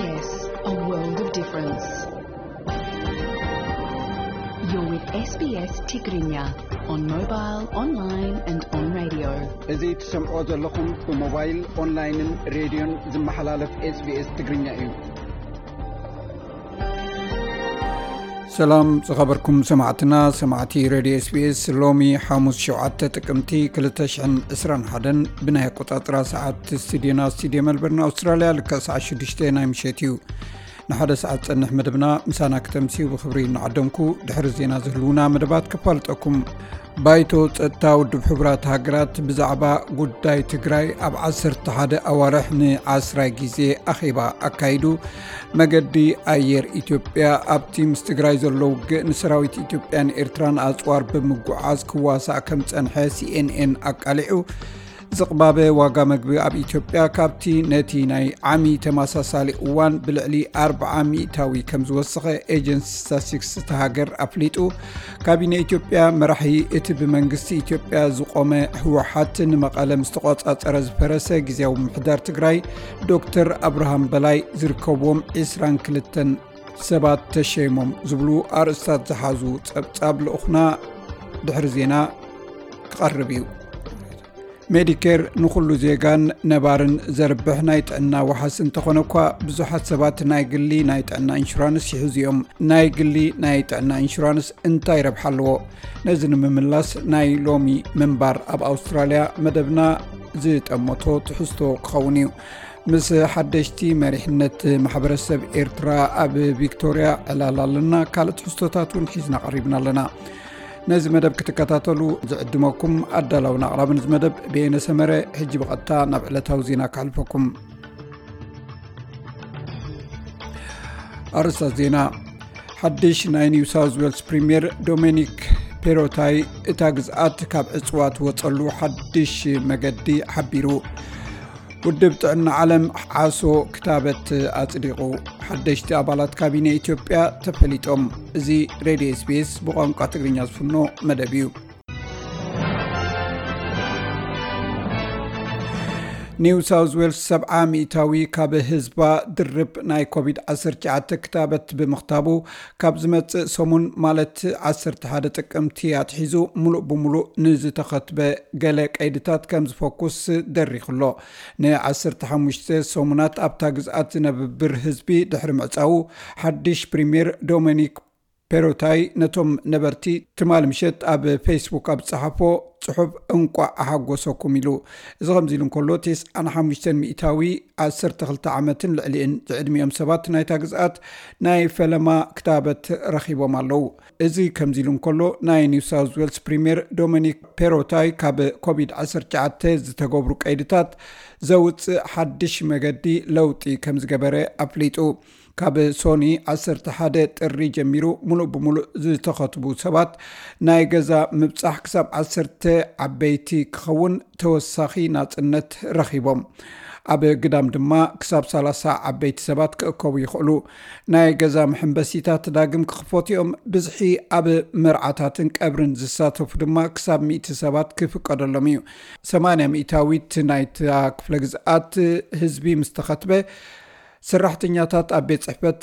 Yes, a world of difference. You're with S B S Tigrinya on mobile, online and on radio. እዚ ትሰምዖ ዘለኹም ብሞባይል፣ ኦንላይንን ሬድዮን ዝመሓላለፍ SBS ትግርኛ እዩ። ሰላም ዝኸበርኩም ሰማዕትና፣ ሰማዕቲ ሬድዮ SBS። ሎሚ ሓሙስ ሸውዓተ ጥቅምቲ ክልተ ሽሕን ዕስራን ሓደን ብናይ ኣቆጻጽራ ሰዓት ስቱዲዮና፣ ስቱዲዮ መልበርን ኣውስትራልያ፣ ልክዕ ሰዓት ሽዱሽተ ናይ ምሸት እዩ። ንሓደ ሰዓት ጸንሕ መደብና ምሳና ክተምስዩ ብኽብሪ እናዓደምኩ፣ ድሕሪ ዜና ዝህልዉና መደባት ከፋልጠኩም። ባይቶ ጸጥታ ውድብ ሕቡራት ሃገራት ብዛዕባ ጉዳይ ትግራይ ኣብ ዓሰርተ ሓደ ኣዋርሕ ንዓስራይ ግዜ ኣኼባ ኣካይዱ። መገዲ ኣየር ኢትዮጵያ ኣብቲ ምስ ትግራይ ዘሎ ውግእ ንሰራዊት ኢትዮጵያን ኤርትራን ኣጽዋር ብምጉዓዝ ክዋሳእ ከም ጸንሐ CNN ኣቃሊዑ። ዝቕባበ ዋጋ መግቢ ኣብ ኢትዮጵያ ካብቲ ነቲ ናይ ዓሚ ተመሳሳሊ እዋን ብልዕሊ ኣርብዓ ሚእታዊ ከም ዝወሰኸ ኤጀንሲ ስታትስቲክስ እታ ሃገር ኣፍሊጡ። ካቢነ ኢትዮጵያ መራሒ እቲ ብመንግስቲ ኢትዮጵያ ዝቖመ ህወሓት ንመቐለ ምስ ተቖጻጸረ ዝፈረሰ ግዜያዊ ምምሕዳር ትግራይ ዶክተር ኣብርሃም በላይ ዝርከብዎም ዕስራን ክልተን ሰባት ተሸይሞም ዝብሉ ኣርእስታት ዝሓዙ ጸብጻብ ልኡኽና ድሕሪ ዜና ክቐርብ እዩ። ሜዲኬር ንኹሉ ዜጋን ነባርን ዘርብሕ ናይ ጥዕና ዋሕስ እንተኾነ እኳ፣ ብዙሓት ሰባት ናይ ግሊ ናይ ጥዕና ኢንሹራንስ ይሕዙ እዮም። ናይ ግሊ ናይ ጥዕና ኢንሹራንስ እንታይ ረብሓ ኣለዎ? ነዚ ንምምላስ ናይ ሎሚ ምንባር ኣብ ኣውስትራልያ መደብና ዝጠመቶ ትሕዝቶ ክኸውን እዩ። ምስ ሓደሽቲ መሪሕነት ማሕበረሰብ ኤርትራ ኣብ ቪክቶርያ ዕላል ኣለና። ካልእ ትሕዝቶታት እውን ሒዝና ቀሪብና ኣለና። ነዚ መደብ ክትከታተሉ ዝዕድመኩም ኣዳላውን ኣቕራብን እዚ መደብ በየነ ሰመረ። ሕጂ ብቐጥታ ናብ ዕለታዊ ዜና ከሕልፈኩም። ኣርእስታት ዜና። ሓድሽ ናይ ኒው ሳውዝ ዌልስ ፕሪምየር ዶሚኒክ ፔሮታይ እታ ግዝኣት ካብ ዕፅዋ ትወፀሉ ሓድሽ መገዲ ሓቢሩ። ውድብ ጥዕና ዓለም ዓሶ ክታበት ኣጽዲቑ። ሓደሽቲ ኣባላት ካቢነ ኢትዮጵያ ተፈሊጦም። እዚ ሬድዮ SBS ብቋንቋ ትግርኛ ዝፍኖ መደብ እዩ። ኒው ሳውዝ ዌልስ ሰብዓ ሚእታዊ ካብ ህዝባ ድርብ ናይ ኮቪድ ዓሰርተ ትሽዓተ ክታበት ብምኽታቡ፣ ካብ ዝመጽእ ሰሙን ማለት ዓሰርተ ሓደ ጥቅምቲ ኣትሒዙ ሙሉእ ብሙሉእ ንዝተኸትበ ገለ ቀይድታት ከም ዝፈኩስ ደሪኹ ኣሎ። ንዓሰርተ ሓሙሽተ ሰሙናት ኣብታ ግዝኣት ዝነብር ህዝቢ ድሕሪ ምዕጻዉ፣ ሓድሽ ፕሪምየር ዶሚኒክ ፔሮታይ ነቶም ነበርቲ ትማሊ ምሸት ኣብ ፌስቡክ ኣብ ዝጸሓፎ ጽሑፍ እንቋዕ ኣሓጎሰኩም ኢሉ። እዚ ከምዚ ኢሉ እንከሎ፣ ተስዓን ሓሙሽተን ሚእታዊ ዓሰርተ ክልተ ዓመትን ልዕሊእን ዝዕድሚኦም ሰባት ናይታ ግዝኣት ናይ ፈለማ ክታበት ረኺቦም ኣለዉ። እዚ ከምዚ ኢሉ እንከሎ፣ ናይ ኒው ሳውዝ ዌልስ ፕሪምየር ዶሚኒክ ፔሮታይ ካብ ኮቪድ ዓሰርተ ትሽዓተ ዝተገብሩ ቀይድታት ዘውጽእ ሓድሽ መገዲ ለውጢ ከም ዝገበረ ኣፍሊጡ። ካብ ሶኒ ዓሰርተ ሓደ ጥሪ ጀሚሩ፣ ሙሉእ ብሙሉእ ዝተኸትቡ ሰባት ናይ ገዛ ምብጻሕ ክሳብ ዓሰርተ ዓበይቲ ክኸውን ተወሳኺ ናጽነት ረኺቦም። ኣብ ግዳም ድማ ክሳብ ሰላሳ ዓበይቲ ሰባት ክእከቡ ይኽእሉ። ናይ ገዛ መሐንበሲታት ዳግም ክኽፈቱ እዮም። ብዝሒ ኣብ መርዓታትን ቀብርን ዝሳተፉ ድማ ክሳብ ሚእቲ ሰባት ክፍቀደሎም እዩ። ሰማንያ ሚእታዊት ናይታ ክፍለ ግዝኣት ህዝቢ ምስ ተኸትበ፣ ሰራሕተኛታት ኣብ ቤት ጽሕፈት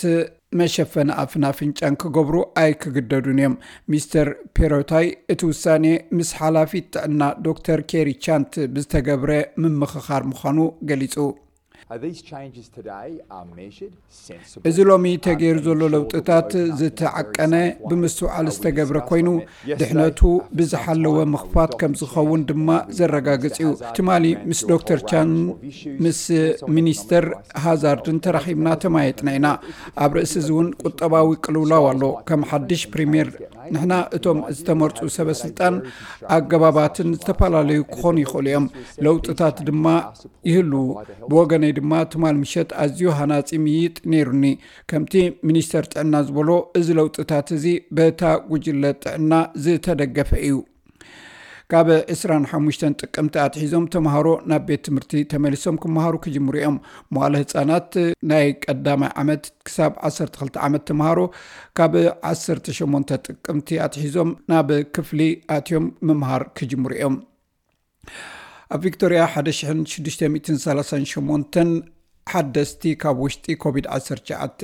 መሸፈኒ ኣፍን ኣፍንጫን ክገብሩ ኣይክግደዱን እዮም። ሚስተር ፔሮታይ እቲ ውሳኔ ምስ ሓላፊት ጥዕና ዶክተር ኬሪ ቻንት ብዝተገብረ ምምኽኻር ምዃኑ ገሊጹ። Uh, these changes today are measured, sensible, እዚ ሎሚ ተገይሩ ዘሎ ለውጥታት ዝተዓቀነ ብምስትውዓል ዝተገብረ ኮይኑ፣ ድሕነቱ ብዝሓለወ ምኽፋት ከም ዝኸውን ድማ ዘረጋግጽ እዩ። ትማሊ ምስ ዶክተር ቻን፣ ምስ ሚኒስተር ሃዛርድን ተራኺብና ተማየጥና ኢና። ኣብ ርእሲ እዚ እውን ቁጠባዊ ቅልውላው ኣሎ። ከም ሓድሽ ፕሪምየር፣ ንሕና እቶም ዝተመርጹ ሰበ ስልጣን ኣገባባትን ዝተፈላለዩ ክኾኑ ይኽእሉ እዮም። ለውጥታት ድማ ይህሉ። ብወገነይ ድማ ትማል ምሸት ኣዝዩ ሃናጺ ምይይጥ ነይሩኒ። ከምቲ ሚኒስተር ጥዕና ዝበሎ፣ እዚ ለውጥታት እዚ በታ ጉጅለ ጥዕና ዝተደገፈ እዩ። ካብ ዕስራን ሓሙሽተን ጥቅምቲ ኣትሒዞም ተምሃሮ ናብ ቤት ትምህርቲ ተመሊሶም ክመሃሩ ክጅምሩ እዮም። መዋለ ህጻናት ናይ ቀዳማይ ዓመት ክሳብ ዓሰርተ ክልተ ዓመት ተምሃሮ ካብ ዓሰርተ ሸሞንተ ጥቅምቲ ኣትሒዞም ናብ ክፍሊ ኣትዮም ምምሃር ክጅምሩ እዮም። ኣብ ቪክቶርያ ሓደ ሽሕን ሽዱሽተ ሚእትን ሰላሳን ሸሞንተን ሓደስቲ ካብ ውሽጢ ኮቪድ ዓሰርተ ትሽዓተ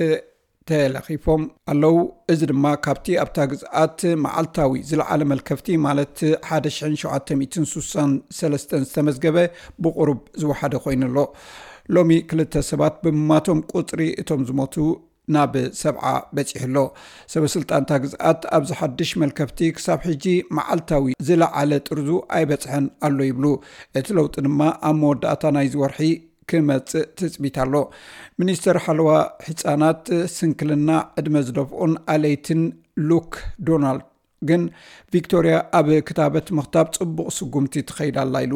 ተለኺፎም ኣለዉ። እዚ ድማ ካብቲ ኣብታ ግዝኣት መዓልታዊ ዝለዓለ መልከፍቲ፣ ማለት ሓደ ሽሕን ሸውዓተ ሚእትን ስሳን ሰለስተን ዝተመዝገበ ብቑሩብ ዝወሓደ ኮይኑ ኣሎ። ሎሚ ክልተ ሰባት ብምማቶም ቁጽሪ እቶም ዝሞቱ ናብ ሰብዓ በጺሑ ኣሎ። ሰበ ስልጣንታ ግዝኣት ኣብዚ ሓድሽ መልከፍቲ ክሳብ ሕጂ መዓልታዊ ዝለዓለ ጥርዙ ኣይበጽሐን ኣሎ ይብሉ። እቲ ለውጢ ድማ ኣብ መወዳእታ ናይዚ ወርሒ ክመጽእ ትጽቢት ኣሎ። ሚኒስተር ሓለዋ ህጻናት፣ ስንክልና፣ ዕድመ ዝደፍኡን ኣለይትን ሉክ ዶናልድ ግን ቪክቶሪያ ኣብ ክታበት ምኽታብ ጽቡቕ ስጉምቲ ትኸይድ ኣላ ኢሉ።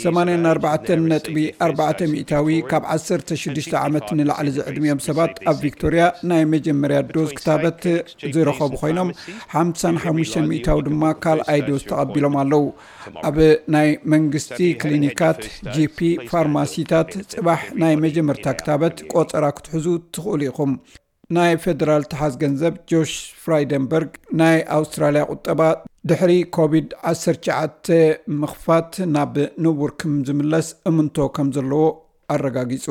ሰማንያን ኣርባዕተን ነጥቢ ኣርባዕተ ሚእታዊ ካብ ዓሰርተ ሽዱሽተ ዓመት ንላዕሊ ዝዕድሚኦም ሰባት ኣብ ቪክቶሪያ ናይ መጀመርያ ዶዝ ክታበት ዝረኸቡ ኮይኖም፣ ሓምሳን ሓሙሽተን ሚእታዊ ድማ ካልኣይ ዶዝ ተቐቢሎም ኣለዉ። ኣብ ናይ መንግስቲ ክሊኒካት፣ ጂፒ፣ ፋርማሲታት ጽባሕ ናይ መጀመርታ ክታበት ቆጸራ ክትሕዙ ትኽእሉ ኢኹም። ናይ ፌደራል ተሓዝ ገንዘብ ጆሽ ፍራይደንበርግ፣ ናይ ኣውስትራልያ ቁጠባ ድሕሪ ኮቪድ ዓሰርተ ትሽዓተ ምኽፋት ናብ ንቡር ከም ዝምለስ እምንቶ ከም ዘለዎ ኣረጋጊጹ።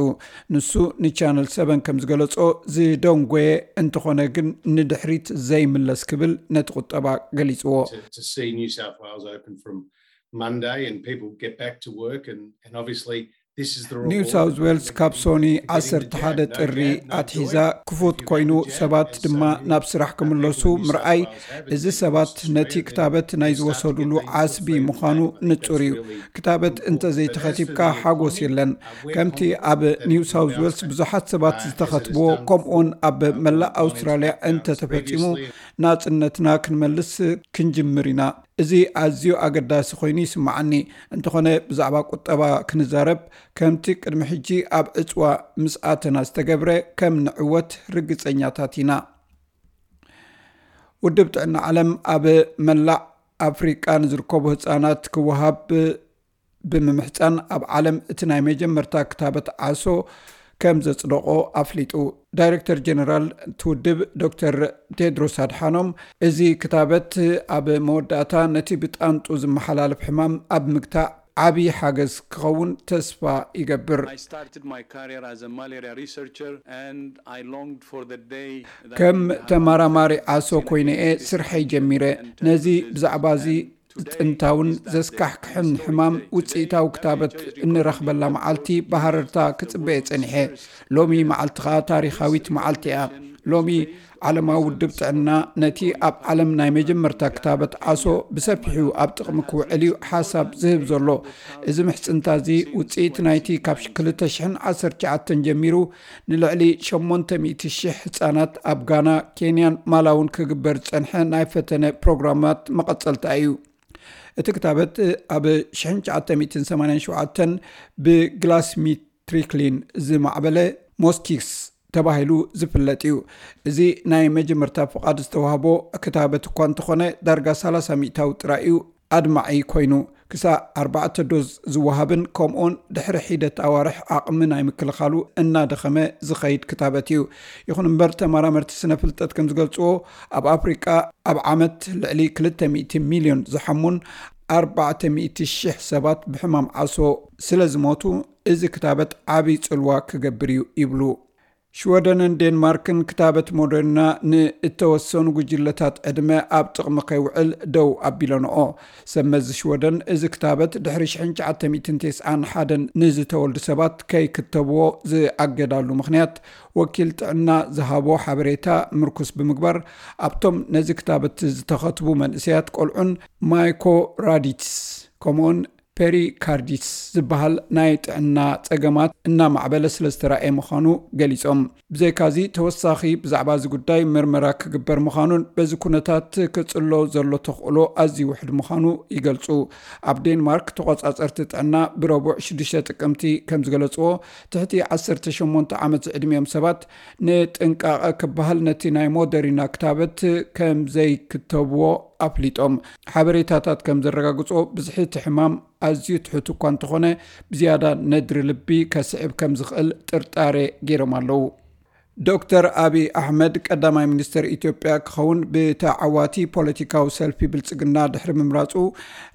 ንሱ ንቻነል ሰቨን ከም ዝገለጾ፣ ዝደንጎየ እንተኾነ ግን ንድሕሪት ዘይምለስ ክብል ነቲ ቁጠባ ገሊጽዎ። to, to see New South Wales open from Monday and people get back to work, and, and obviously this is the reward. ኒው ሳውዝ ዌልስ ካብ ሶኒ ዓሰርተ ሓደ ጥሪ ኣትሒዛ ክፉት ኮይኑ ሰባት ድማ ናብ ስራሕ ክምለሱ ምርኣይ፣ እዚ ሰባት ነቲ ክታበት ናይ ዝወሰዱሉ ዓስቢ ምዃኑ ንጹር እዩ። ክታበት እንተዘይተኸቲብካ ሓጎስ የለን። ከምቲ ኣብ ኒው ሳውዝ ዌልስ ብዙሓት ሰባት ዝተኸትብዎ፣ ከምኡውን ኣብ መላእ ኣውስትራልያ እንተተፈጺሙ፣ ናጽነትና ክንመልስ ክንጅምር ኢና። እዚ ኣዝዩ ኣገዳሲ ኮይኑ ይስምዓኒ። እንተኾነ ብዛዕባ ቁጠባ ክንዛረብ፣ ከምቲ ቅድሚ ሕጂ ኣብ ዕጽዋ ምስ ኣተና ዝተገብረ ከም ንዕወት ርግጸኛታት ኢና። ውድብ ጥዕና ዓለም ኣብ መላእ ኣፍሪቃ ንዝርከቡ ህጻናት ክወሃብ ብምምሕጻን፣ ኣብ ዓለም እቲ ናይ መጀመርታ ክታበት ዓሶ ከም ዘጽደቖ ኣፍሊጡ። ዳይሬክተር ጀነራል እቲ ውድብ ዶክተር ቴድሮስ ኣድሓኖም፣ እዚ ክታበት ኣብ መወዳእታ ነቲ ብጣንጡ ዝመሓላለፍ ሕማም ኣብ ምግታእ ዓቢ ሓገዝ ክኸውን ተስፋ ይገብር። I started my career as a malaria researcher and I longed for the day that ከም we would have ተመራማሪ a ዓሶ ኮይነ እየ ስርሐይ ጀሚረ። ነዚ ብዛዕባ እዚ ጥንታውን ዘስካሕክሕን ሕማም ውፅኢታዊ ክታበት እንረኽበላ መዓልቲ ብሃረርታ ክፅበየ ፀኒሐ። ሎሚ መዓልቲ ከዓ ታሪኻዊት መዓልቲ እያ። ሎሚ ዓለማዊ ውድብ ጥዕና ነቲ ኣብ ዓለም ናይ መጀመርታ ክታበት ዓሶ ብሰፊሑ ኣብ ጥቕሚ ክውዕል እዩ ሓሳብ ዝህብ ዘሎ። እዚ ምሕፅንታ እዚ ውፅኢት ናይቲ ካብ ክልተ ሽሕን ዓሰርተ ትሽዓተን ጀሚሩ ንልዕሊ ሸሞንተ ሚእቲ ሽሕ ህፃናት ኣብ ጋና፣ ኬንያን ማላውን ክግበር ዝፀንሐ ናይ ፈተነ ፕሮግራማት መቐፀልታ እዩ። እቲ ክታበት ኣብ ሽሕን ትሽዓተ ሚእትን ሰማንያን ሸውዓተን ብግላስሚትሪክሊን ዝማዕበለ ሞስኪክስ ተባሂሉ ዝፍለጥ እዩ። እዚ ናይ መጀመርታ ፍቓድ ዝተዋህቦ ክታበት እኳ እንተኾነ፣ ዳርጋ ሰላሳ ሚእታዊ ጥራይ እዩ ኣድማዒ ኮይኑ። ክሳዕ ኣርባዕተ ዶዝ ዝወሃብን ከምኡውን ድሕሪ ሒደት ኣዋርሕ ዓቕሚ ናይ ምክልኻሉ እናደኸመ ዝኸይድ ክታበት እዩ። ይኹን እምበር፣ ተመራመርቲ ስነ ፍልጠት ከም ዝገልጽዎ፣ ኣብ ኣፍሪቃ ኣብ ዓመት ልዕሊ ክልተ ሚእቲ ሚልዮን ዝሓሙን ኣርባዕተ ሚእቲ ሽሕ ሰባት ብሕማም ዓሶ ስለ ዝሞቱ፣ እዚ ክታበት ዓቢ ጽልዋ ክገብር እዩ ይብሉ። ሽወደንን ዴንማርክን ክታበት ሞደርና ንእተወሰኑ ጉጅለታት ዕድመ ኣብ ጥቕሚ ከይውዕል ደው ኣቢለንኦ። ሰብ መዚ ሽወደን፣ እዚ ክታበት ድሕሪ ሽሕን ትሽዓተ ሚእትን ተስዓን ሓደን ንዝተወልዱ ሰባት ከይክተብዎ ዝኣገዳሉ ምኽንያት፣ ወኪል ጥዕና ዝሃቦ ሓበሬታ ምርኩስ ብምግባር፣ ኣብቶም ነዚ ክታበት ዝተኸትቡ መንእሰያት ቆልዑን ማይኮራይቲስ ከምኡውን ፔሪካርዲትስ ዝበሃል ናይ ጥዕና ጸገማት እናማዕበለ ስለ ዝተራእየ ምዃኑ ገሊጾም። ብዘይካዚ፣ ተወሳኺ ብዛዕባ እዚ ጉዳይ ምርመራ ክግበር ምዃኑን በዚ ኩነታት ክጽሎ ዘሎ ተኽእሎ ኣዝዩ ውሑድ ምዃኑ ይገልጹ። ኣብ ዴንማርክ፣ ተቖጻጸርቲ ጥዕና ብረቡዕ ሽዱሽተ ጥቅምቲ ከም ዝገለጽዎ፣ ትሕቲ ዓሰርተ ሸሞንተ ዓመት ዝዕድሚኦም ሰባት ንጥንቃቐ ክበሃል ነቲ ናይ ሞደሪና ክታበት ከም ዘይክተብዎ ኣፍሊጦም። ሓበሬታታት ከም ዘረጋግጾ፣ ብዝሒ እቲ ሕማም ኣዝዩ ትሑት እኳ እንተኾነ፣ ብዝያዳ ነድሪ ልቢ ከስዕብ ከም ዝኽእል ጥርጣሬ ገይሮም ኣለዉ። ዶክተር ኣብይ ኣሕመድ ቀዳማይ ሚኒስትር ኢትዮጵያ ክኸውን ብተዓዋቲ ፖለቲካዊ ሰልፊ ብልጽግና ድሕሪ ምምራጹ፣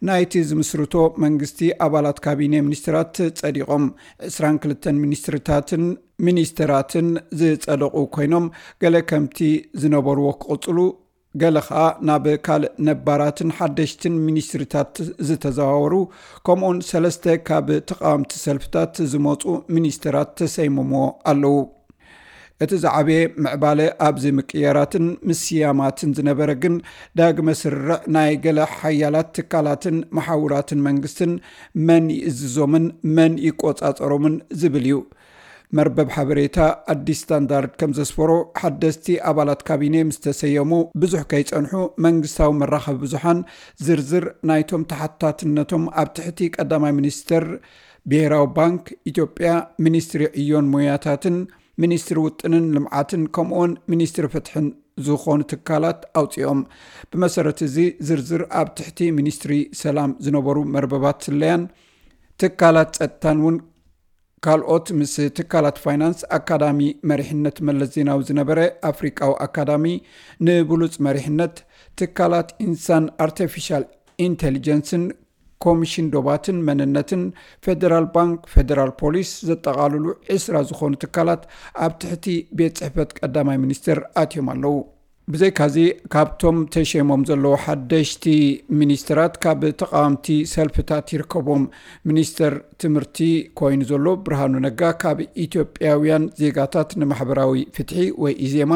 ናይቲ ዝምስርቶ መንግስቲ ኣባላት ካቢኔ ሚኒስትራት ጸዲቖም። ዕስራን ክልተን ሚኒስትርታትን ሚኒስትራትን ዝጸደቑ ኮይኖም፣ ገለ ከምቲ ዝነበርዎ ክቕጽሉ፣ ገለ ኸኣ ናብ ካልእ ነባራትን ሓደሽትን ሚኒስትሪታት ዝተዘዋወሩ፣ ከምኡውን ሰለስተ ካብ ተቓወምቲ ሰልፍታት ዝመጹ ሚኒስትራት ተሰይሞምዎ ኣለዉ። እቲ ዝዓበየ ምዕባለ ኣብዚ ምቅያራትን ምስያማትን ዝነበረ ግን፣ ዳግመ ስርርዕ ናይ ገለ ሓያላት ትካላትን መሓውራትን መንግስትን፣ መን ይእዝዞምን መን ይቆጻጸሮምን ዝብል እዩ። መርበብ ሓበሬታ ኣዲስ ስታንዳርድ ከም ዘስፈሮ፣ ሓደስቲ ኣባላት ካቢኔ ምስ ተሰየሙ ብዙሕ ከይጸንሑ፣ መንግስታዊ መራኸቢ ብዙሓን ዝርዝር ናይቶም ተሓታትነቶም ኣብ ትሕቲ ቀዳማይ ሚኒስትር፣ ብሄራዊ ባንክ ኢትዮጵያ፣ ሚኒስትሪ ዕዮን ሞያታትን፣ ሚኒስትሪ ውጥንን ልምዓትን፣ ከምኡውን ሚኒስትሪ ፍትሕን ዝኾኑ ትካላት ኣውጺኦም። ብመሰረት እዚ ዝርዝር፣ ኣብ ትሕቲ ሚኒስትሪ ሰላም ዝነበሩ መርበባት ስለያን ትካላት ጸጥታን እውን ካልኦት ምስ ትካላት ፋይናንስ፣ ኣካዳሚ መሪሕነት መለስ ዜናዊ ዝነበረ ኣፍሪቃዊ ኣካዳሚ ንብሉጽ መሪሕነት፣ ትካላት ኢንሳን ኣርቲፊሻል ኢንቴሊጀንስን፣ ኮሚሽን ዶባትን መንነትን፣ ፌደራል ባንክ፣ ፌደራል ፖሊስ ዘጠቓልሉ ዕስራ ዝኾኑ ትካላት ኣብ ትሕቲ ቤት ጽሕፈት ቀዳማይ ሚኒስትር ኣትዮም ኣለዉ። ብዘይካዚ፣ ካብቶም ተሸይሞም ዘለዉ ሓደሽቲ ሚኒስትራት ካብ ተቓወምቲ ሰልፍታት ይርከቦም። ሚኒስተር ትምህርቲ ኮይኑ ዘሎ ብርሃኑ ነጋ ካብ ኢትዮጵያውያን ዜጋታት ንማሕበራዊ ፍትሒ ወይ ኢዜማ፣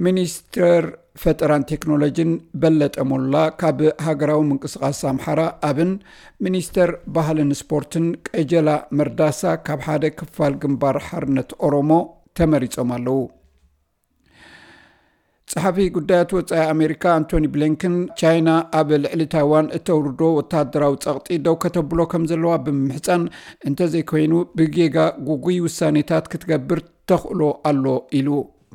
ሚኒስተር ፈጠራን ቴክኖሎጂን በለጠ ሞላ ካብ ሃገራዊ ምንቅስቓስ ኣምሓራ ኣብን፣ ሚኒስተር ባህልን ስፖርትን ቀጀላ መርዳሳ ካብ ሓደ ክፋል ግንባር ሓርነት ኦሮሞ ተመሪጾም ኣለዉ። ጸሓፊ ጉዳያት ወጻኢ ኣሜሪካ ኣንቶኒ ብሊንከን፣ ቻይና ኣብ ልዕሊ ታይዋን እተውርዶ ወተሃደራዊ ጸቕጢ ደው ከተብሎ ከም ዘለዋ ብምምሕጻን፣ እንተዘይኮይኑ ብጌጋ ጉጉይ ውሳኔታት ክትገብር ተኽእሎ ኣሎ ኢሉ።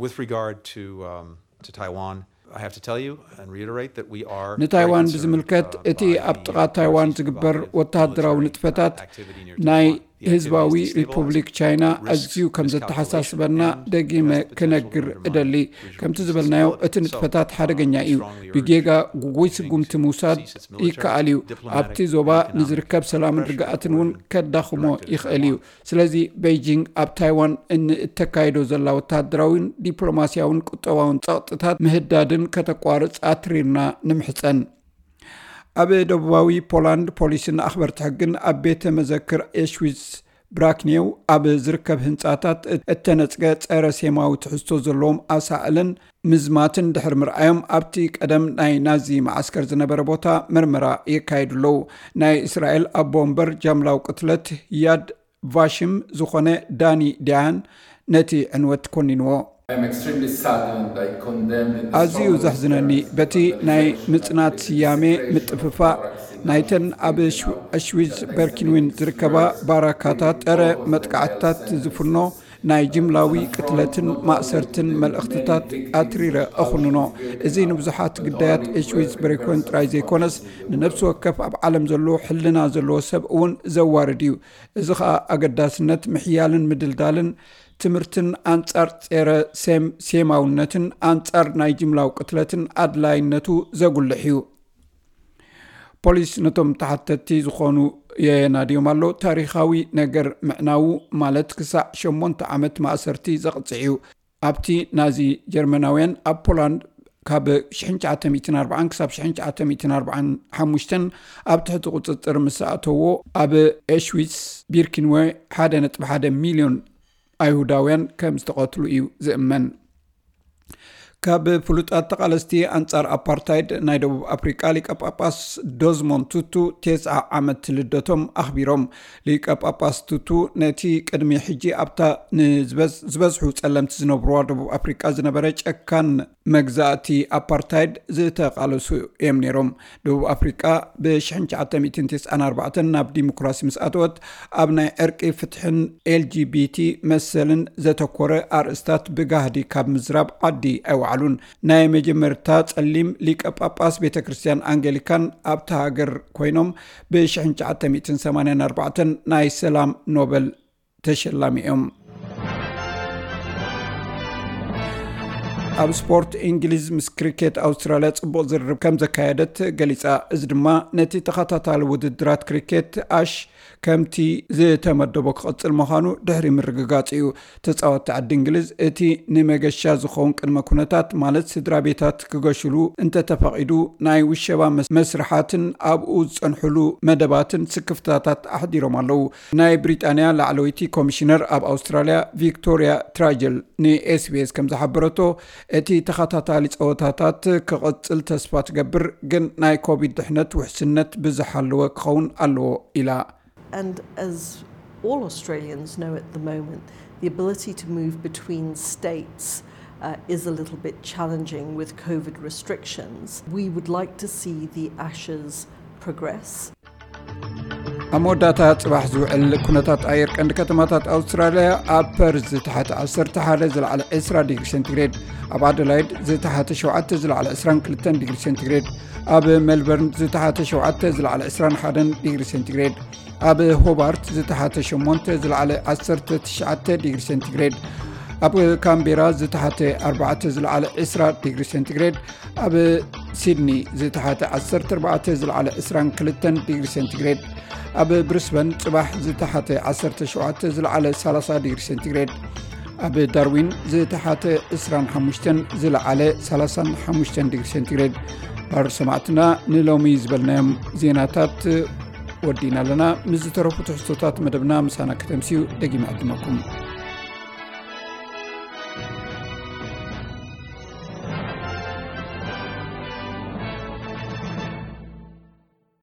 With regard to, um, to Taiwan, I have to tell you and reiterate that we are very ንታይዋን concerned, ብዝምልከት፣ uh, እቲ by ኣብ the ጥቓ ታይዋን overseas ዝግበር provocative ወተሃደራዊ military ንጥፈታት activity near ናይ Taiwan. The activity ህዝባዊ is destabilizing. ሪፑብሊክ ቻይና It risks ኣዝዩ ከም miscalculation ዘተሓሳስበና and ደጊመ has the potential ክነግር to undermine እደሊ። regional ከምቲ peace ዝበልናዮ፣ stability. እቲ So, ንጥፈታት ሓደገኛ um, እዩ። We strongly urge ብጌጋ ጉጉይ Beijing ስጉምቲ to ምውሳድ cease its military, ይከኣል እዩ። diplomatic ኣብቲ ዞባ and economic ንዝርከብ ሰላምን pressure ርግኣትን እውን with ከዳኽሞ direct ይኽእል እዩ። Taiwan. ስለዚ፣ ቤይጂንግ ኣብ ታይዋን እንእተካይዶ ዘላ ወተሃደራዊን ዲፕሎማስያውን ቁጠባውን ጸቕጥታት ምህዳድን ከተቋርጽ ኣትሪርና ንምሕጸን። ኣብ ደቡባዊ ፖላንድ፣ ፖሊስን ኣኽበርቲ ሕግን ኣብ ቤተ መዘክር ኤሽዊዝ ብራክኔው ኣብ ዝርከብ ህንጻታት እተነጽገ ጸረ ሴማዊ ትሕዝቶ ዘለዎም ኣሳእልን ምዝማትን ድሕሪ ምርኣዮም፣ ኣብቲ ቀደም ናይ ናዚ መዓስከር ዝነበረ ቦታ መርመራ የካይዱ ኣለዉ። ናይ እስራኤል ኣቦ ወንበር ጃምላዊ ቅትለት ያድ ቫሽም ዝኾነ ዳኒ ዲያን ነቲ ዕንወት ኮኒንዎ። I'm extremely saddened. I condemn in the ኣዝዩ strongest ዘሕዝነኒ፣ terms በቲ the ናይ accusation ምጽናት of the ስያሜ desecration of ምጥፍፋእ barracks in ናይተን ኣብ ኣሽዊዝ በርኪንዊን ዝርከባ ባራካታት ጸረ መጥቃዕትታት ዝፍኖ ናይ ጅምላዊ ቅትለትን ማእሰርትን መልእኽትታት ኣትሪረ እኹንኖ። እዚ ንብዙሓት ግዳያት ኤሽዊዝ ብሬኮን ጥራይ ዘይኮነስ፣ ንነፍሲ ወከፍ ኣብ ዓለም ዘሎ ሕልና ዘለዎ ሰብ እውን ዘዋርድ እዩ። እዚ ኸኣ ኣገዳስነት ምሕያልን ምድልዳልን ትምህርትን ኣንጻር ጸረ ሴም-፣ ሴማውነትን ኣንጻር ናይ ጅምላዊ ቅትለትን ኣድላይነቱ ዘጉልሕ እዩ። ፖሊስ ነቶም ተሓተትቲ ዝኾኑ የናድዮም ኣሎ። ታሪኻዊ ነገር ምዕናዉ ማለት ክሳዕ ሸሞንተ ዓመት ማእሰርቲ ዘቕጽዕ እዩ። ኣብቲ ናዚ ጀርመናውያን ኣብ ፖላንድ ካብ ሽሕን ትሽዓተ ሚእትን ኣርባዓን ክሳብ ሽሕን ትሽዓተ ሚእትን ኣርባዓን ሓሙሽተን ኣብ ትሕቲ ቁጽጽር ምስ ኣተዎ፣ ኣብ ኤሽዊትስ ቢርኪንዌ ሓደ ነጥቢ ሓደ ሚልዮን ኣይሁዳውያን ከም ዝተቐትሉ እዩ ዝእመን። ካብ ፍሉጣት ተቓለስቲ ኣንጻር ኣፓርታይድ ናይ ደቡብ ኣፍሪቃ ሊቀ ጳጳስ ዶዝሞንድ ቱቱ ተስዓ ዓመት ልደቶም ኣኽቢሮም። ሊቀ ጳጳስ ቱቱ ነቲ ቅድሚ ሕጂ ኣብታ ንዝበዝ-፣ ዝበዝሑ ጸለምቲ ዝነብሩዋ ደቡብ ኣፍሪቃ ዝነበረ ጨካን መግዛእቲ ኣፓርታይድ ዝተቓለሱ እዮም ነይሮም። ደቡብ ኣፍሪቃ ብ ሽሕን ትሽዓተ ሚእትን ተስዓን ኣርባዕተን ናብ ዲሞክራሲ ምስ ኣተወት፣ ኣብ ናይ ዕርቂ፣ ፍትሕን ኤል ጂ ቢ ቲ መሰልን ዘተኮረ ኣርእስታት ብጋህዲ ካብ ምዝራብ ዓዲ ኣይወዓሉን። ናይ መጀመርታ ጸሊም ሊቀ ጳጳስ ቤተ ክርስቲያን ኣንጌሊካን ኣብታ ሃገር ኮይኖም፣ ብ ሽሕን ትሽዓተ ሚእትን ሰማንያን ኣርባዕተን ናይ ሰላም ኖበል ተሸላሚ እዮም። ኣብ ስፖርት፣ እንግሊዝ ምስ ክሪኬት ኣውስትራልያ ጽቡቕ ዝርርብ ከም ዘካየደት ገሊጻ። እዚ ድማ ነቲ ተኸታታሊ ውድድራት ክሪኬት ኣሽ ከምቲ ዝተመደቦ ክቕጽል ምዃኑ ድሕሪ ምርግጋጽ እዩ። ተጻወትቲ ዓዲ እንግሊዝ እቲ ንመገሻ ዝኸውን ቅድመ ኩነታት፣ ማለት ስድራ ቤታት ክገሽሉ እንተተፈቒዱ ናይ ውሸባ መስ-፣ መስርሓትን ኣብኡ ዝጸንሕሉ መደባትን ስክፍታታት ኣሕዲሮም ኣለዉ። ናይ ብሪጣንያ ላዕለወይቲ ኮሚሽነር ኣብ ኣውስትራልያ ቪክቶሪያ ትራጀል ንኤስቢኤስ ከም ዝሓበረቶ፣ እቲ ተኸታታሊ ጸወታታት ክቕጽል ተስፋ ትገብር፣ ግን ናይ ኮቪድ ድሕነት ውሕስነት ብዝሓለወ ክኸውን ኣለዎ ኢላ። And as all Australians know at the moment, the ability to move between states uh, is a little bit challenging with COVID restrictions. We would like to see the Ashes progress. ኣብ መወዳእታ ጽባሕ ዝውዕል ኩነታት ኣየር ቀንዲ ከተማታት ኣውስትራልያ፣ ኣብ ፐርዝ ዝተሓተ ዓሰርተ ሓደ ዝለዓለ ዕስራ ዲግሪ ሴንቲግሬድ፣ ኣብ ኣደላይድ ዝተሓተ ሸውዓተ ዝለዓለ ዕስራን ክልተን ዲግሪ ሴንቲግሬድ፣ ኣብ ሜልበርን ዝተሓተ ሸውዓተ ዝለዓለ ዕስራን ሓደን ዲግሪ ሴንቲግሬድ፣ ኣብ ሆባርት ዝተሓተ ሸሞንተ ዝለዓለ ዓሰርተ ትሽዓተ ዲግሪ ሴንቲግሬድ፣ ኣብ ካምቤራ ዝተሓተ ኣርባዕተ ዝለዓለ ዕስራ ዲግሪ ሴንቲግሬድ፣ ኣብ ሲድኒ ዝተሓተ ዓሰርተ ኣርባዕተ ዝለዓለ ዕስራን ክልተን ዲግሪ ሴንቲግሬድ፣ ኣብ ብሪስበን ጽባሕ ዝተሓተ ዓሰርተ ሸውዓተ ዝለዓለ ሰላሳ ዲግሪ ሴንቲግሬድ፣ ኣብ ዳርዊን ዝተሓተ ዕስራን ሓሙሽተን ዝለዓለ ሰላሳን ሓሙሽተን ዲግሪ ሴንቲግሬድ። ባር ሰማዕትና፣ ንሎሚ ዝበልናዮም ዜናታት ወዲና ኣለና። ምስ ዝተረፉ ትሕዝቶታት መደብና ምሳና ከተምስዩ ደጊመ ዕድመኩም።